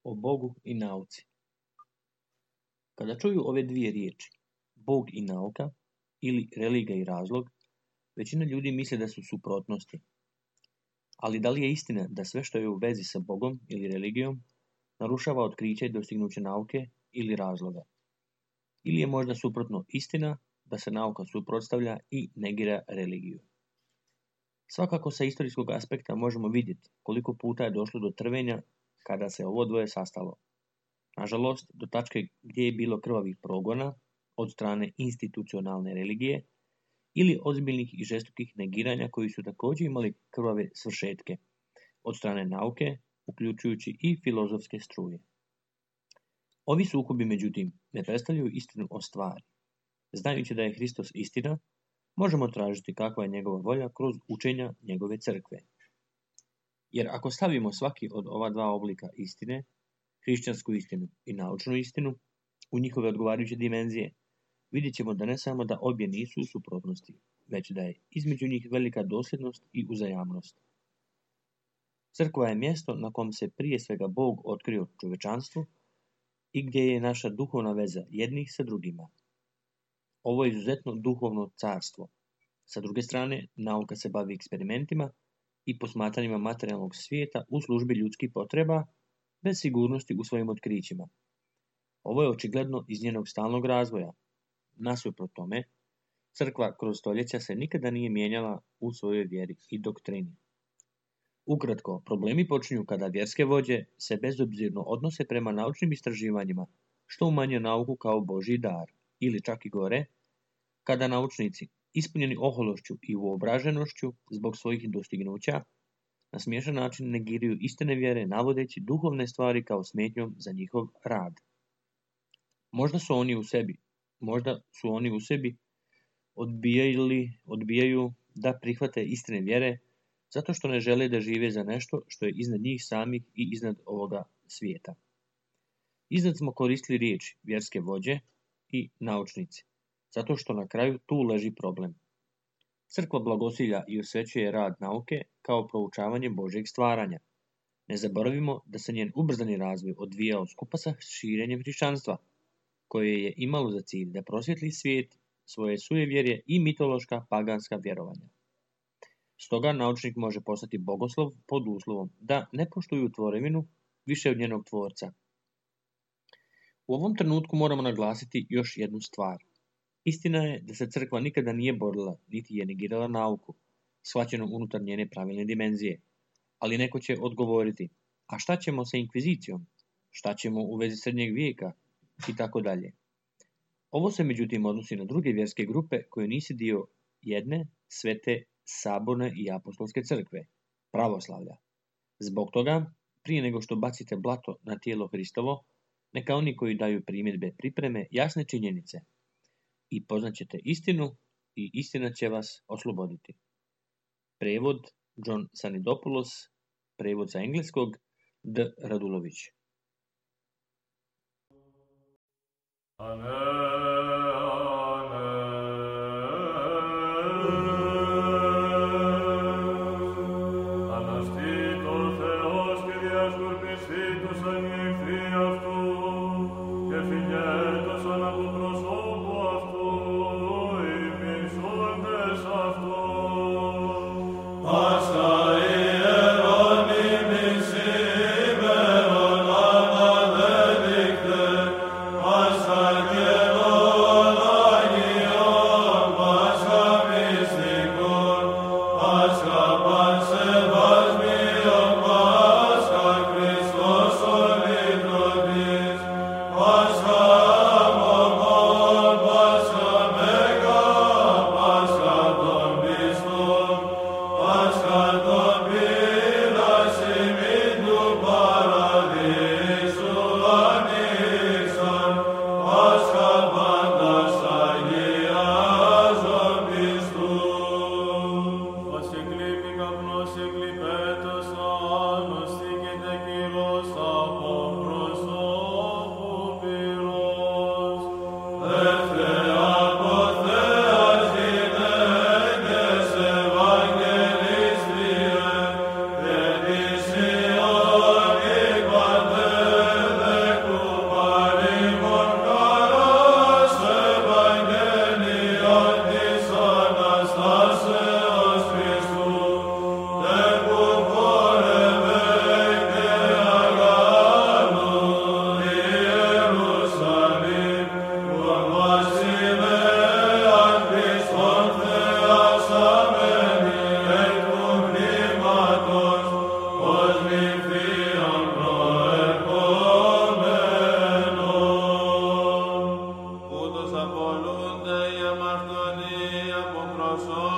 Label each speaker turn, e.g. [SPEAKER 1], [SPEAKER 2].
[SPEAKER 1] O Bogu i nauci. Kada čuju ove dvije riječi, Bog i nauka, ili religija i razlog, većina ljudi misli da su suprotnosti. Ali da li je istina da sve što je u vezi sa Bogom ili religijom narušava otkriće i dostignuće nauke ili razloga? Ili je možda suprotno istina da se nauka suprotstavlja i negira religiju? Svakako sa istorijskog aspekta možemo vidjeti koliko puta je došlo do trvenja kada se ovo dvoje sastalo. Nažalost, do tačke gdje je bilo krvavih progona od strane institucionalne religije ili ozbiljnih i žestokih negiranja koji su također imali krvave svršetke od strane nauke, uključujući i filozofske struje. Ovi sukobi, međutim, ne predstavljaju istinu o stvari. Znajući da je Hristos istina, možemo tražiti kakva je njegova volja kroz učenja njegove crkve. Jer ako stavimo svaki od ova dva oblika istine, hrišćansku istinu i naučnu istinu, u njihove odgovarajuće dimenzije, vidjet ćemo da ne samo da obje nisu u suprotnosti, već da je između njih velika dosljednost i uzajamnost. Crkva je mjesto na kom se prije svega Bog otkrio čovečanstvu i gdje je naša duhovna veza jednih sa drugima. Ovo je izuzetno duhovno carstvo. Sa druge strane, nauka se bavi eksperimentima i posmatranjima materijalnog svijeta u službi ljudskih potreba, bez sigurnosti u svojim otkrićima. Ovo je očigledno iz njenog stalnog razvoja. Nasuprot tome, crkva kroz stoljeća se nikada nije mijenjala u svojoj vjeri i doktrini. Ukratko, problemi počinju kada vjerske vođe se bezobzirno odnose prema naučnim istraživanjima, što umanjuje nauku kao Božji dar, ili čak i gore, kada naučnici, ispunjeni ohološću i uobraženošću zbog svojih dostignuća, na smiješan način negiraju istine vjere navodeći duhovne stvari kao smetnjom za njihov rad. Možda su oni u sebi odbijaju da prihvate istine vjere zato što ne žele da žive za nešto što je iznad njih samih i iznad ovoga svijeta. Iznad smo koristili riječi vjerske vođe i naučnici, zato što na kraju tu leži problem. Crkva blagosilja i osvećuje rad nauke kao proučavanje Božjeg stvaranja. Ne zaboravimo da se njen ubrzani razvoj odvijao skupa sa širenjem hrišćanstva, koje je imalo za cilj da prosvjetli svijet svoje sujevjerje i mitološka paganska vjerovanja. Stoga naučnik može postati bogoslov pod uslovom da ne poštuju tvorevinu više od njenog tvorca. U ovom trenutku moramo naglasiti još jednu stvar. Istina je da se crkva nikada nije borila, niti je negirala nauku, shvaćenu unutar njene pravilne dimenzije. Ali neko će odgovoriti, a šta ćemo sa inkvizicijom? Šta ćemo u vezi srednjeg vijeka? I tako dalje. Ovo se međutim odnosi na druge vjerske grupe koje nisu dio jedne, svete, saborne i apostolske crkve, pravoslavlja. Zbog toga, prije nego što bacite blato na tijelo Hristovo, neka oni koji daju primjedbe pripreme jasne činjenice i poznaćete istinu i istina će vas osloboditi. Prevod John Sanidopoulos, prevod sa engleskog D. Radulović.
[SPEAKER 2] Απολούνται οι αμαρτωλοί από προσώπου